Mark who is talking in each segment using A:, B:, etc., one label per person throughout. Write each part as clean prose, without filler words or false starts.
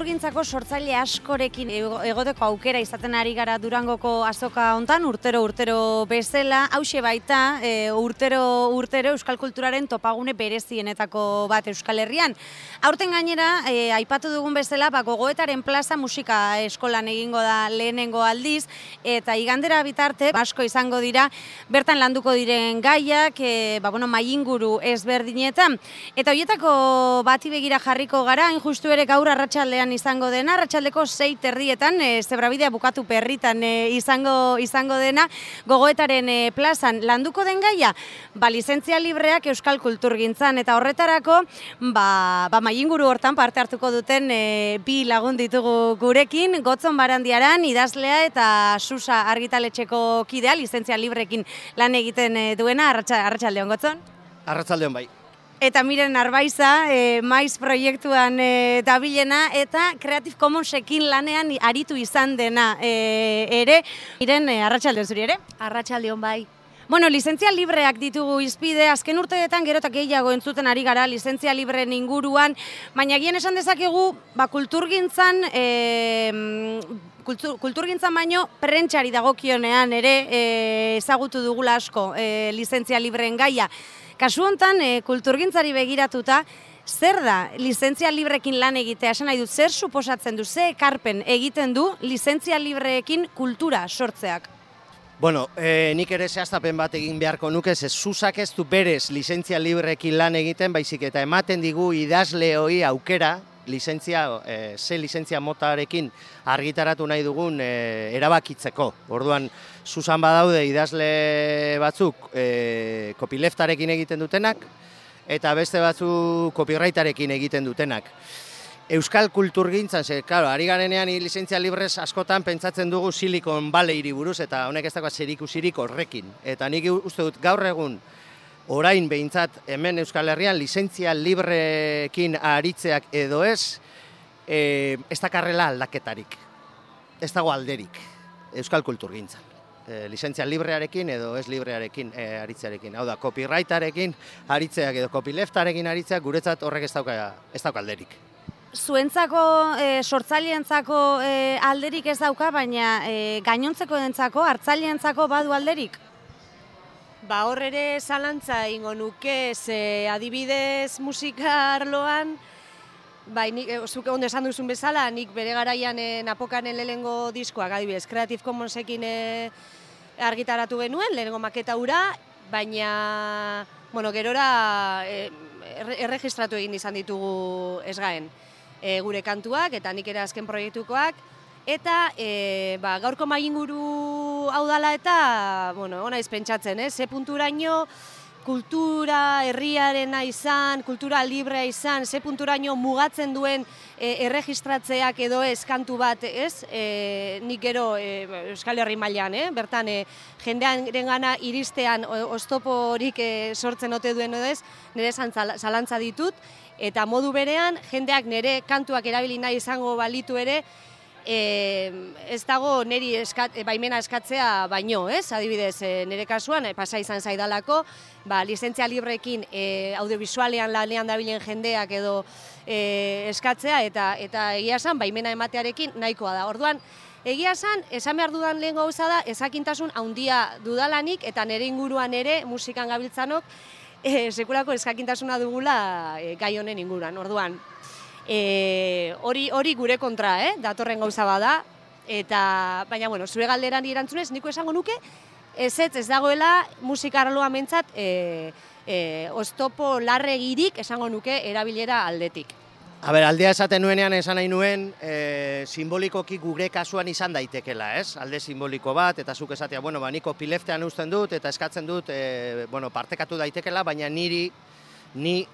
A: kulturgintzako sortzaile askorekin egoteko aukera izaten ari gara Durangoko azoka hontan, urtero bezala, hauxe baita, urtero euskal kulturaren topagune berezienetako bat Euskal Herrian. Aurten gainera, aipatu dugun bezala, Gogoetaren plaza musika eskolan egingo da lehenengo aldiz, eta igandera bitarte asko izango dira, bertan landuko diren gaiak, mainguru ezberdinetan, eta horietako bati begira jarriko gara, hain justu ere gaur arratsaldean izango dena, arratsaldeko 6:30 Zebrabidea bukatu perritan izango dena, Gogoetaren plazan landuko den gaia, lizentzia libreak euskal kulturgintzan, eta horretarako, mainguru hortan parte hartuko duten bi lagun ditugu gurekin, Gotzon Barandiaran, idazlea eta Susa argitaletxeko kidea, lizentzia librekin lan egiten duena, arratsaldeon Gotzon?
B: Arratsaldeon bai.
A: Eta Miren Arbaiza, maiz proiektuan dabilena, eta Creative Commonsekin lanean aritu izan dena ere. Miren, arratsaldeon zuri ere?
C: Arratsaldeon bai.
A: Bueno, lizentzia libreak ditugu izpide, azken urteetan gero eta gehiago entzuten ari gara lizentzia libreen inguruan, baina gian esan dezakegu, kulturgintzan, kulturgintzan baino prentxari dagokionean ere ezagutu dugula asko lizentzia libreen gaia. Kasu hontan, kulturgintzari begiratuta, zer da lizentzia librekin lan egitea? Esan nahi dut, zer suposatzen du, ze ekarpen egiten du lizentzia libreekin kultura sortzeak?
B: Bueno, nik ere zehaztapen bat egin beharko nuke, Susak ez du berez lizentzia libreekin lan egiten, baizik eta ematen digu idazle hori aukera, ze lizentzia motarekin argitaratu nahi dugun erabakitzeko. Orduan, Susan badaude idazle batzuk copyleftarekin egiten dutenak, eta beste batzuk copyrightarekin egiten dutenak. Euskal kulturgintzan, ari garenean lizentzia librez askotan pentsatzen dugu Silicon Valley-ri buruz, eta honek ez dagoa zerikusirik horrekin. Eta nik uste dut gaur egun, orain behintzat hemen Euskal Herrian lizentzia librekin aritzeak edo ez dakarrela aldaketarik, ez dago alderik Euskal kulturgintzan. Lizentzia librearekin edo ez librearekin aritzearekin. Hau da, copyrightarekin aritzeak edo copyleftarekin aritzeak guretzat horrek ez dauka alderik.
A: Zuentzako, sortzaileentzako alderik ez dauka, baina gainontzeko dentzako, hartzaileentzako badu alderik?
C: Hor ere zalantza ingo nuke, adibidez musika arloan, zuk ondo esan duzun bezala, nik bere garaian Napokanen lehenengo diskoak, adibidez, Creative Commonsekin argitaratu genuen, lehenengo maketa hura, baina, gerora erregistratu egin izan ditugu Esgaen gure kantuak, eta nik ere azken proiektukoak, eta gaurko mainguru hau dala eta, ona izpentsatzen, ze punturaino kultura herriarena izan, kultura librea izan, ze punturaino mugatzen duen erregistratzeak edo ez kantu bat, nik gero Euskal Herri mailan, bertan jendearen gana iristean oztoporik sortzen ote duen edo ez, nire zalantza ditut, eta modu berean jendeak nire kantuak erabili nahi izango balitu ere, ez dago niri baimena eskatzea baino, adibidez, nire kasuan, pasa izan zaidalako, lizentzia librekin audiovisualean lanean dabilen jendeak edo eskatzea, eta egia esan, baimena ematearekin nahikoa da. Orduan, egia esan behar dudan lehen gauza da, ezakintasun handia dudalanik, eta nire inguruan ere, musikan gabiltzanok, sekulako eskakintasuna dugula gai honen inguruan. Orduan, hori gure kontra, datorren gauza bada, baina, zure galderan erantzunez, niko esango nuke, ez dagoela musika arloa mentzat oztopo larregirik esango nuke erabilera aldetik.
B: Aldea esaten nuenean esan nahi nuen, simbolikoki gure kasuan izan daitekela, alde simboliko bat, eta zuk esatea, niko pileftean usten dut, eta eskatzen dut, partekatu daitekela, baina ni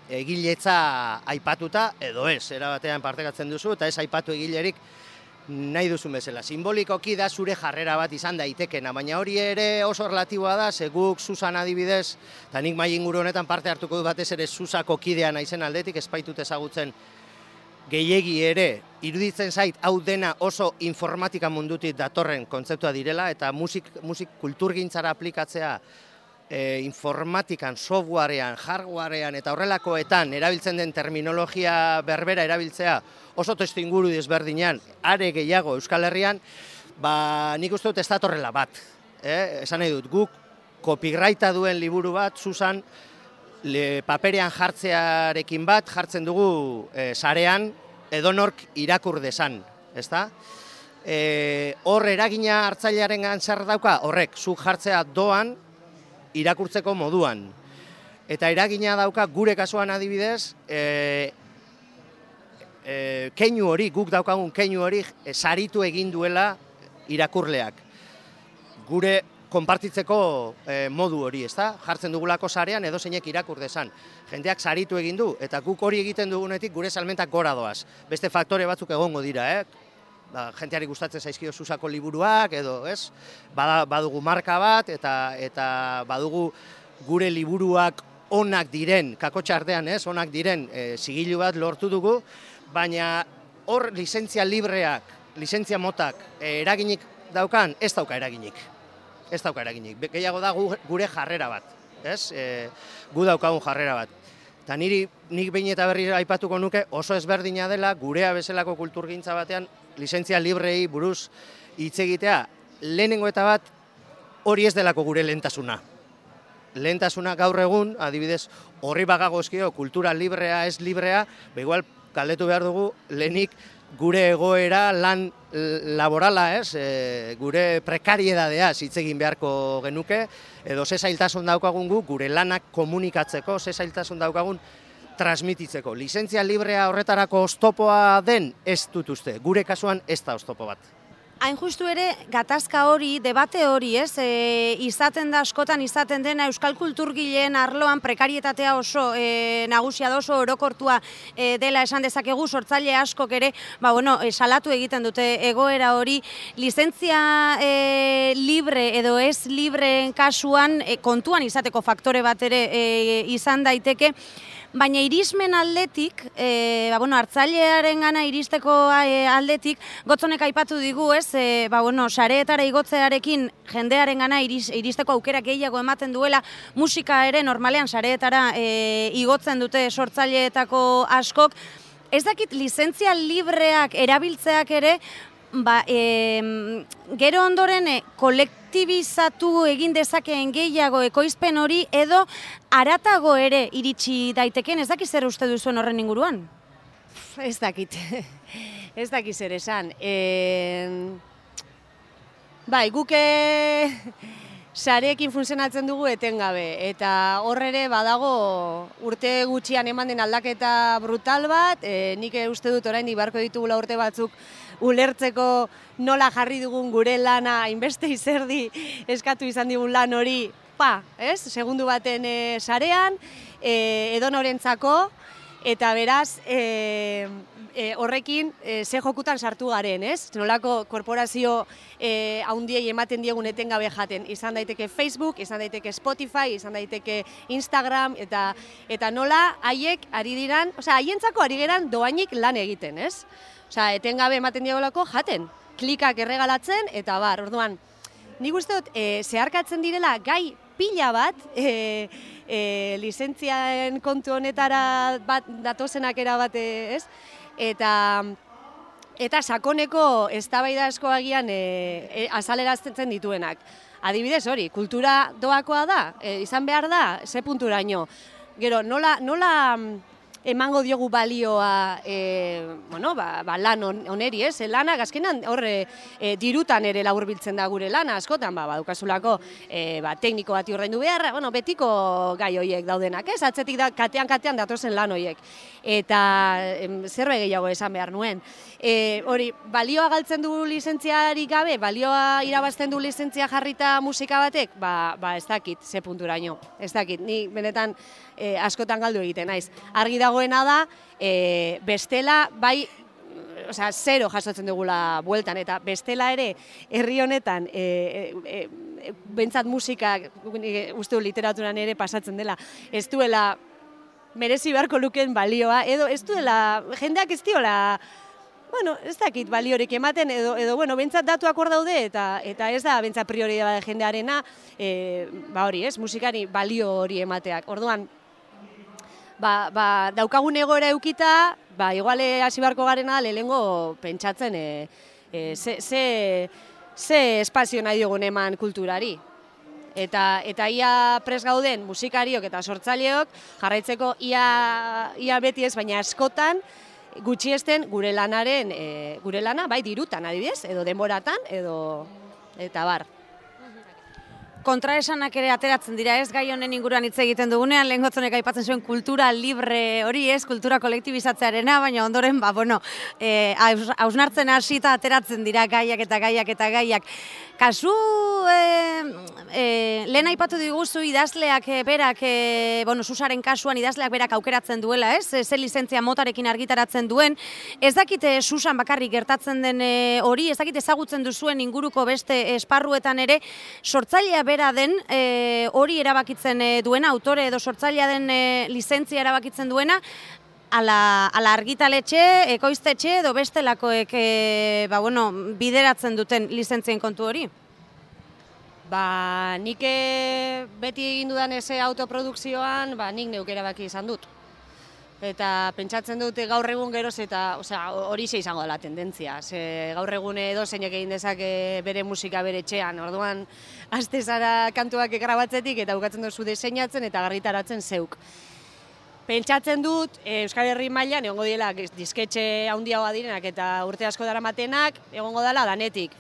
B: egiletza aipatuta, edo ez, erabatean partekatzen duzu, eta ez aipatu egilerik nahi duzun bezala. Simbolikoki da zure jarrera bat izan daitekena, baina hori ere oso relatiboa da, guk Susan adibidez, eta nik mainguru honetan parte hartuko du batez ere Susako kidea naizen aldetik, ez baitut ezagutzen gehiegi ere, iruditzen zait, hau dena oso informatika mundutik datorren kontzeptua direla, eta musik kulturgintzara aplikatzea informatikan, softwarean, hardwarean eta horrelakoetan erabiltzen den terminologia berbera erabiltzea oso testu inguru desberdinean, are gehiago Euskal Herrian, nik uste dut ez datorrela bat. Esan nahi dut, guk copyrighta duen liburu bat, Susan, paperean jartzearekin bat, jartzen dugu sarean, edonork irakur dezan, ezta? Hor eragina hartzailearen zer dauka, horrek, zuk jartzea doan, irakurtzeko moduan. Eta eragina dauka gure kasuan adibidez, keinu hori, guk daukagun keinu hori, saritu egin duela irakurleak. Gure konpartitzeko modu hori, ezta? Jartzen dugulako sarean edo zeinek irakur dezan. Jendeak saritu egin du, eta guk hori egiten dugunetik gure salmentak gora doaz. Beste faktore batzuk egongo dira, jenteari gustatzen zaizkio Susako liburuak, edo, ez? Badugu marka bat, eta badugu gure liburuak onak diren, kakotxartean, ez? Onak diren zigilu bat lortu dugu, baina hor lizentzia libreak, lizentzia motak eraginik daukan, ez dauka eraginik. Ez dauka eraginik. Gehiago da gure jarrera bat, ez? Gu daukagun jarrera bat. Eta nik behin eta berri aipatuko nuke oso ezberdina dela gurea bezalako kulturgintza batean lizentzia librei buruz hitz egitea. Lehenengo eta bat hori ez delako gure lehentasuna. Lehentasuna gaur egun, adibidez, horri bagagozkio kultura librea ez librea, igual galdetu behar dugu lehenik gure egoera lan laborala, gure prekariedadea hitz egin beharko genuke, edo ze zailtasun daukagun gure lanak komunikatzeko, ze zailtasun daukagun transmititzeko. Lizentzia librea horretarako oztopoa den ez dut uste, gure kasuan ez da oztopo bat.
A: Hain justu ere, gatazka hori, debate hori, izaten da askotan izaten dena euskal kulturgileen arloan prekarietatea oso nagusia da, oso orokortua dela esan dezakegu, sortzaile askok ere, salatu egiten dute egoera hori, lizentzia libre edo ez libreen kasuan kontuan izateko faktore bat ere izan daiteke, baina irismen aldetik, hartzailearen gana iristeko aldetik, Gotzonek aipatu digu, sareetara igotzearekin jendearen gana iristeko aukera gehiago ematen duela, musika ere normalean sareetara igotzen dute sortzaileetako askok. Ez dakit lizentzia libreak erabiltzeak ere, gero ondoren kolektibizatu egin dezakeen gehiago ekoizpen hori edo haratago ere iritsi daiteken, ez dakit zer uste duzuen horren inguruan?
C: Ez dakit, ez dakit zer esan. Guke sareekin funtzionatzen dugu etengabe, eta hor ere badago urte gutxian eman den aldaketa brutal bat, nik uste dut oraindik beharko ditugula urte batzuk ulertzeko nola jarri dugun gure lana, hainbeste izerdi eskatu izan digun lan hori, segundu baten sarean, edonorentzako, eta beraz, horrekin ze jokutan sartu garen, ez? Nolako korporazio haundiei ematen diegun etengabe jaten. Izan daiteke Facebook, izan daiteke Spotify, izan daiteke Instagram, eta nola haiek ari diran, haientzako ari geran doainik lan egiten, ez? Etengabe ematen diegolako jaten, klikak erregalatzen, eta orduan, nik uste dut, zeharkatzen direla gai pila bat, lizentziaen kontu honetara datozenak erabate, ez? Eta sakoneko eztabaida asko agian azalerazten dituenak. Adibidez hori, kultura doakoa da, izan behar da, ze punturaino. Gero, nola emango diogu balioa lan oneri, ez? Lana, azkenan horre dirutan ere laburbiltzen da gure lana, askotan, badukasulako tekniko bati ordaindu beharra, betiko gai horiek daudenak, ez? Atzetik da, katean datozen lan horiek. Eta zerbait gehiago esan behar nuen. Hori, balioa galtzen du lizentziarik gabe, balioa irabazten du lizentzia jarrita musika batek, ez dakit, ze punturaino, ez dakit, ni benetan askotan galdu egiten naiz. Argi dagoena da, bestela, zero jasotzen dugula bueltan, eta bestela ere, herri honetan, bentsat musika, uste du literaturan ere pasatzen dela, ez duela merezi beharko lukeen balioa, edo ez duela, jendeak ez diola bueno, ez dakit baliorik ematen, edo bueno, bentsat datuak hor daude, eta ez da bentsat prioridade jendearena, ba hori, ez, musikari balio hori emateak. Orduan, daukagun egoera eukita, iguale hasi beharko garena lehengo pentsatzen ze espazio nahi dugun eman kulturari. Eta ia pres gauden musikariok eta sortzaileok jarraitzeko ia beti ez, baina askotan gutxiesten gure lana, bai dirutan adibidez, edo denboratan, eta bar.
A: Kontraesanak ere ateratzen dira, ez gai honen inguruan hitz egiten dugunean, lehen gotzonek aipatzen zuen kultura libre hori, ez, kultura kolektibizatzearena, baina ondoren, hausnartzen hasita ateratzen dira gaiak eta gaiak. Kasu, lehen aipatu diguzu idazleak berak, Susaren kasuan idazleak berak aukeratzen duela, ez, ze lizentzia motarekin argitaratzen duen, ez dakite Susan bakarrik gertatzen den hori, ez dakite ezagutzen duzuen inguruko beste esparruetan ere, sortzailea bera den hori erabakitzen duena, autore edo sortzailea den lizentzia erabakitzen duena, ala argitaletxe, ekoiztetxe edo bestelakoek bideratzen duten lizentzien kontu hori?
C: Nik beti egin dudan eze autoprodukzioan, nik neuk erabaki izan dut. Eta pentsatzen dute gaur egun geroz eta hori izango dela tendentzia. Gaur egun edozeinek egin dezake bere musika bere etxean. Orduan, aste zara kantuak grabatzetik eta bukatzen duzu diseinatzen eta argitaratzen zeuk. Pentsatzen dut, Euskal Herri mailan egongo diela disketxe handiagoa direnak eta urte asko daramatenak egongo dela danetik.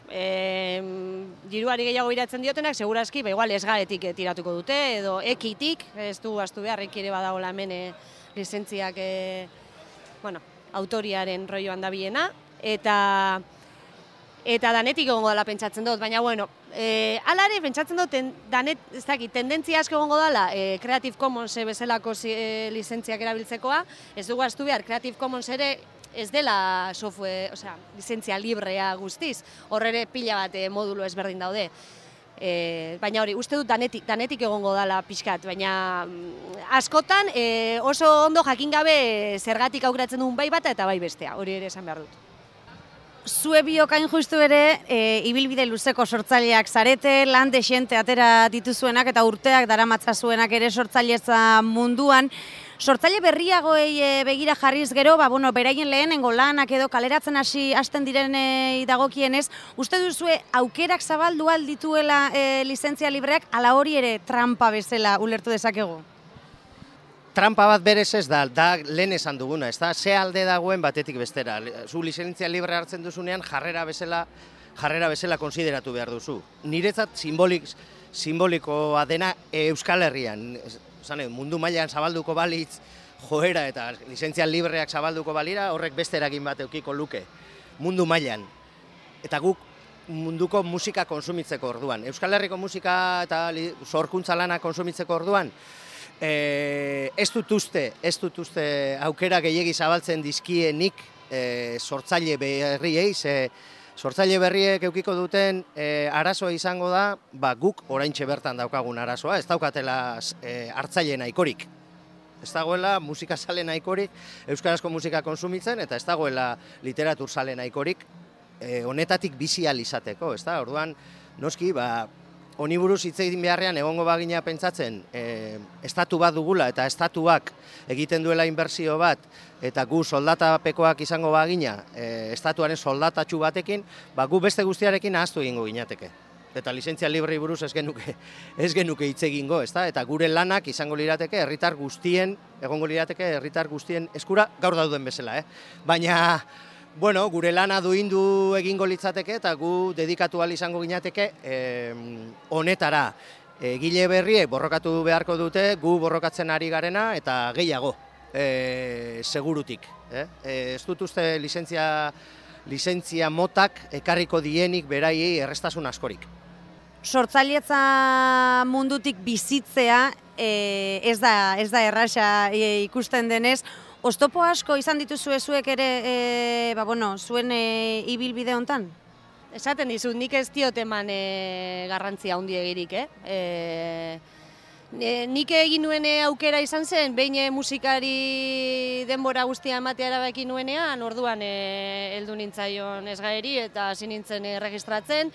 C: Diruari gehiago iratzen diotenak, segurazki, igual esgaretik tiratuko dute, edo ekitik, ez du astu behar, ere badagoela hemen lizentziak autoriaren roioan dabiena, eta danetik egongo dela pentsatzen dut, baina hala ere pentsatzen dut tendentzia asko egongo dela Creative Commons bezalako lizentziak erabiltzekoa, ez dugu astu behar Creative Commons ere ez dela lizentzia librea guztiz, hor ere pila bat modulo ezberdin daude. Baina hori, uste dut danetik egongo dela pixkat, baina askotan oso ondo jakin gabe zergatik aukeratzen duen bai bata eta bai bestea, hori ere esan behar dut.
A: Zue biokain justu ere, ibilbide luzeko sortzaileak zarete, lan dexente atera dituzuenak eta urteak daramatzazuenak ere sortzailetza munduan. Sortzaile berriagoei begira jarriz gero, beraien lehenengo lanak edo kaleratzen hasten direnei dagokienez, uste duzue aukerak zabaldu aldituela lizentzia libreak, ala hori ere trampa bezala ulertu dezakegu?
B: Trampa bat berez ez da lehen esan duguna, ez da, ze alde dagoen batetik bestera. Zu lizentzia libre hartzen duzunean jarrera bezala konsideratu behar duzu. Niretzat simbolikoa dena Euskal Herrian. Mundu mailan zabalduko balitz joera eta lizentzia libreak zabalduko balira, horrek beste eragin bat eukiko luke mundu mailan. Eta guk munduko musika konsumitzeko orduan. Euskal Herriko musika eta sorkuntza lana konsumitzeko orduan, ez dut uste aukera gehiegi zabaltzen dizkienik sortzaile berriei, sortzaile berriek eukiko duten arazoa izango da, guk oraintxe bertan daukagun arazoa, ez daukatela hartzaile nahikorik. Ez dagoela musikazale nahikorik euskarazko musika konsumitzen, eta ez dagoela literaturzale nahikorik honetatik bizi ahal izateko, ez da? Orduan, noski, honi buruz hitz egin beharrean egongo bagina pentsatzen estatu bat dugula eta estatuak egiten duela inbertsio bat eta gu soldatapekoak izango bagina estatuaren soldatatxu batekin, gu beste guztiarekin ahaztu egingo ginateke. Eta lizentzia librei buruz ez genuke hitz egingo, ezta? Eta gure lanak izango lirateke herritar guztien, egongo lirateke herritar guztien eskura gaur dauden bezala, Baina gure lana duindu egingo litzateke eta gu dedikatu ahal izango ginateke honetara. Egile berriek borrokatu beharko dute, gu borrokatzen ari garena eta gehiago segurutik. Ez dut uste lizentzia motak ekarriko dienik beraiei errestasun askorik.
A: Sortzailetza mundutik bizitzea ez da erraxa ikusten denez. Oztopo asko izan dituzue zuek ere, zuen ibilbide hontan?
C: Esaten dizut, nik ez diot eman garrantzia handiegirik, Nik egin nuen aukera izan zen, behin musikari denbora guztia ematea erabaki nuenean, orduan heldu nintzaion Esgaeri eta hasi nintzen registratzen.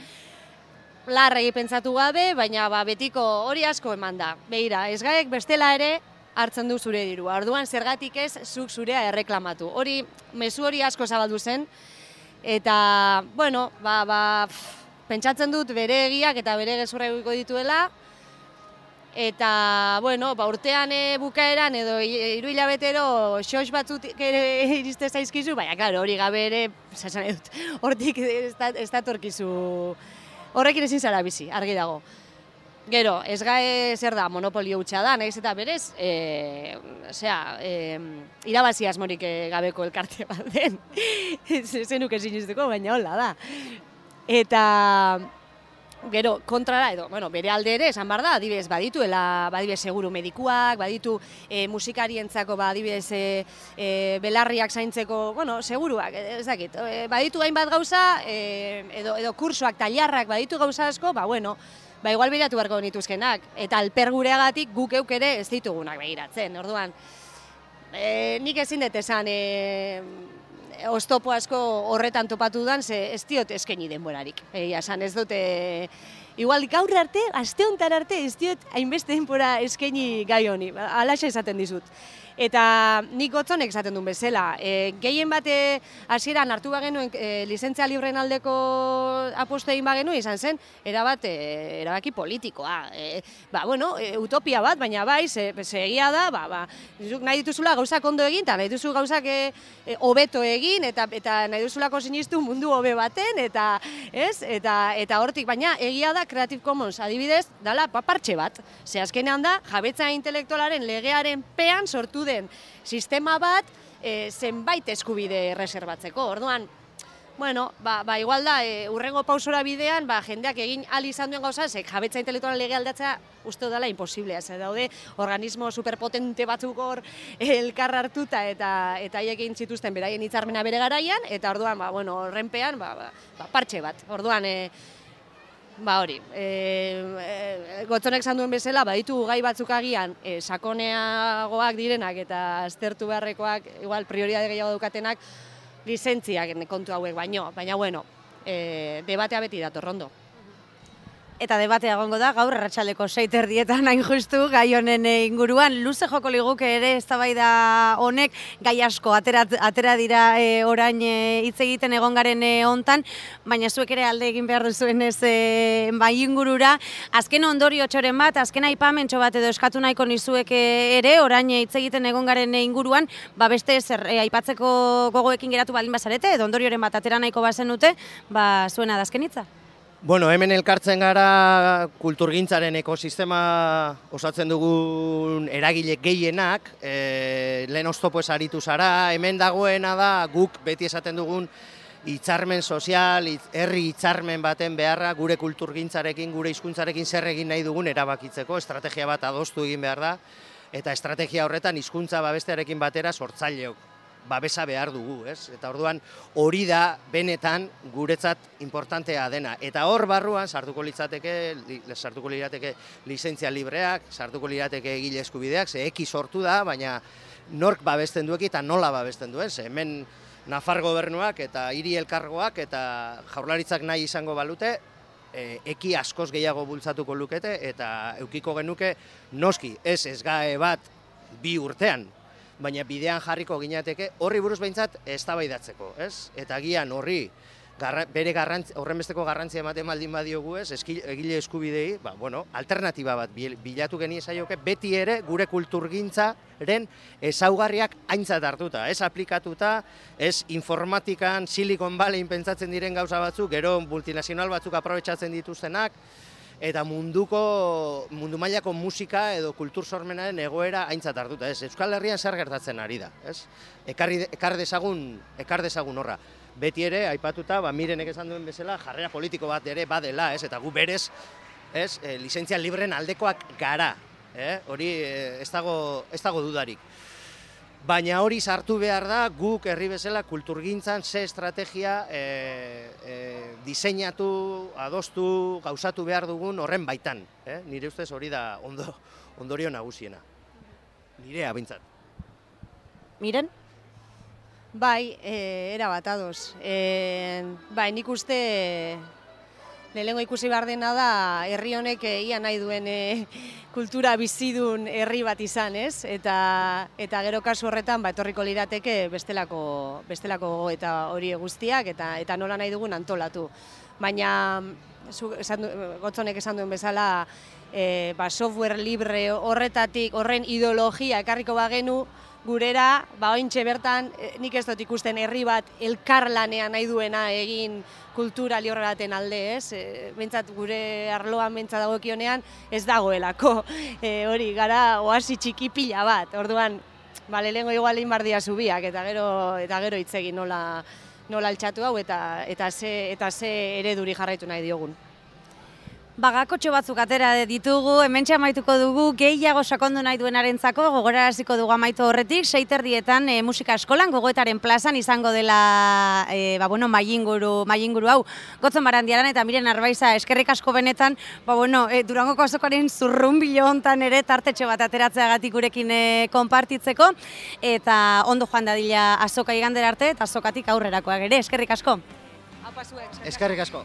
C: Larregi pentsatu gabe, baina betiko hori asko eman da. Begira, Esgaek bestela ere hartzen du zure dirua. Orduan zergatik ez zuk zurea erreklamatu. Hori, mezu hori asko zabaldu zen, eta, bueno, pentsatzen dut bere egiak eta bere gezurra egiko dituela, eta, bueno, urtean bukaeran edo 3 hilabetero xox batzuk ere iriste zaizkizu, baina, klaro, hori gabe ere, esan dut, hortik ez datorkizu, horrekin ezin zara bizi, argi dago. Gero, Esgae zer da, monopolio hutsa da, nahiz eta berez, irabazi asmorik gabeko elkarte bat den, zenuk ezin izteko, baina hola da. Eta, gero, kontrara edo, bere alde ere, esan behar da, adibidez, badituela, seguru medikuak, baditu musikarientzako, adibidez, belarriak zaintzeko, seguruak, ez dakit, baditu hainbat gauza, edo kursoak, tailarrak, baditu gauza asko, igual begiratu beharko nituzkenak, eta alper gureagatik guk euk ere ez ditugunak begiratzen, orduan, nik ezin dut esan, oztopo asko horretan topatu dudan, ez diot eskaini denborarik. Esan ez dute, igual gaur arte, aste honetan arte, ez diot hainbeste denbora eskaini gai honi, alaxe esaten dizut. Eta nik gotzonek esaten duen bezala, gehien bate hasieran hartu bagenuen lizentzia libreen aldeko apostu egin bagenu izan zen, erabaki politikoa. Utopia bat, baina egia da, nahi dituzula gauzak ondo egin, eta nahi duzu gauzak hobeto egin, eta nahi duzulako sinistu mundu hobe baten, eta hortik, baina egia da Creative Commons adibidez, dala papartxe bat. Ze azkenean da, jabetza intelektualaren legearen pean sortu den sistema bat zenbait eskubide reserbatzeko. Orduan, igual da, urrengo pausora bidean, jendeak egin ahal izan duen gauza, jabetza intelektualen lege aldatzea uste dela imposiblea. Daude, organismo superpotente batzuk hor elkar hartuta eta haiek egin zituzten beraien hitzarmena bere garaian, eta orduan, horrenpean, partxe bat. Orduan, hori, Gotzonek esan duen bezala, baditu gai batzuk agian sakoneagoak direnak eta aztertu beharrekoak, igual prioridade gehiago daukatenak, lizentziak kontu hauek baino, baina debatea beti dator ondo.
A: Eta debatea egongo da, gaur arratsaldeko 6:30 hain justu, gai honen inguruan. Luze joko liguke ere eztabaida honek, gai asko atera dira orain hitz egiten egon garen hontan, baina zuek ere alde egin behar duzuenez bai ingurura. Azken ondorio txoren bat, azken aipamentxo bat edo eskatu nahiko nizuek ere, orain hitz egiten egon garen inguruan, beste zer aipatzeko gogoekin geratu baldin bazarete, edo ondorioren bat atera nahiko bazenute, zuena da azken hitza.
B: Bueno, hemen elkartzen gara kulturgintzaren ekosistema osatzen dugun eragile gehienak, lehen oztopo ez aritu zara, hemen dagoena da guk beti esaten dugun hitzarmen sozial, herri hitzarmen baten beharra gure kulturgintzarekin, gure hizkuntzarekin zer egin nahi dugun erabakitzeko, estrategia bat adostu egin behar da, eta estrategia horretan hizkuntza babestearekin batera sortzaileok babesa behar dugu, ez? Eta orduan hori da benetan guretzat importantea dena. Eta hor barruan sartuko lirateke lizentzia libreak, sartuko lirateke egile eskubideak, ze eki sortu da, baina nork babesten duek eta nola babesten duen, ze hemen Nafar gobernuak eta hiri elkargoak eta jaurlaritzak nahi izango balute, eki askoz gehiago bultzatuko lukete eta eukiko genuke noski ez Esgae bat 2 urtean, baina bidean jarriko ginateke horri buruz behintzat eztabaidatzeko, ez? Eta agian horri bere horrenbesteko garrantzia ematen baldin badiogu ez, egile eskubidei, alternatiba bat bilatu geniezaioke beti ere gure kulturgintzaren ezaugarriak aintzat hartuta, ez aplikatuta, ez informatikan, Silicon Valleyin pentsatzen diren gauza batzuk, gero multinazional batzuk aprobetxatzen dituztenak, eta mundu mailako musika edo kultur sormenaren egoera aintzat hartuta, ez? Euskal Herrian zer gertatzen ari da, ez? Ekar dezagun horra. Beti ere, aipatuta, Mirenek esan duen bezala, jarrera politiko bat ere badela, ez? Eta gu berez, ez? Lizentzia libren aldekoak gara, hori ez dago dudarik. Baina hori sartu behar da guk herri bezala kulturgintzan ze estrategia diseinatu, adostu, gauzatu behar dugun horren baitan. Nire ustez hori da ondorio nagusiena. Nirea bintzat.
A: Miren?
C: Bai, erabat ados. Bai, nik uste lehenengo ikusi behar dena da herri honek ia nahi duen kultura bizidun herri bat izan, ez? Eta gero kasu horretan etorriko lirateke bestelako gogoeta hori guztiak eta nola nahi dugun antolatu. Baina Gotzonek esan duen bezala software libre horretatik, horren ideologia ekarriko bagenu, gurera, ointxe bertan, nik ez dut ikusten herri bat elkarlanean nahi duena egin kultura libre baten alde, ez? Bentsat gure arloan bentsa dagokionean ez dagoelako. Hori, gara oasi txiki pila bat. Orduan, lehengo igual egin bardia zubiak eta gero hitz egin nola altxatu hau eta ze ereduri jarraitu nahi diogun.
A: Bagakotxo batzuk atera ditugu, hementxe amaituko dugu, gehiago sakondu nahi duenarentzako, gogoraraziko dugu amaitu horretik, 6:00 musika eskolan, Gogoetaren plazan izango dela mailinguru hau, Gotzon Barandiaran eta Miren Arbaiza, eskerrik asko benetan, Durangoko azokaren zurrunbilo hontan ere tartetxo bat ateratzeagatik gurekin konpartitzeko, eta ondo joan dadila azoka igandera arte, eta azokatik aurrerakoak ere, eskerrik asko.
B: Eskerrik asko.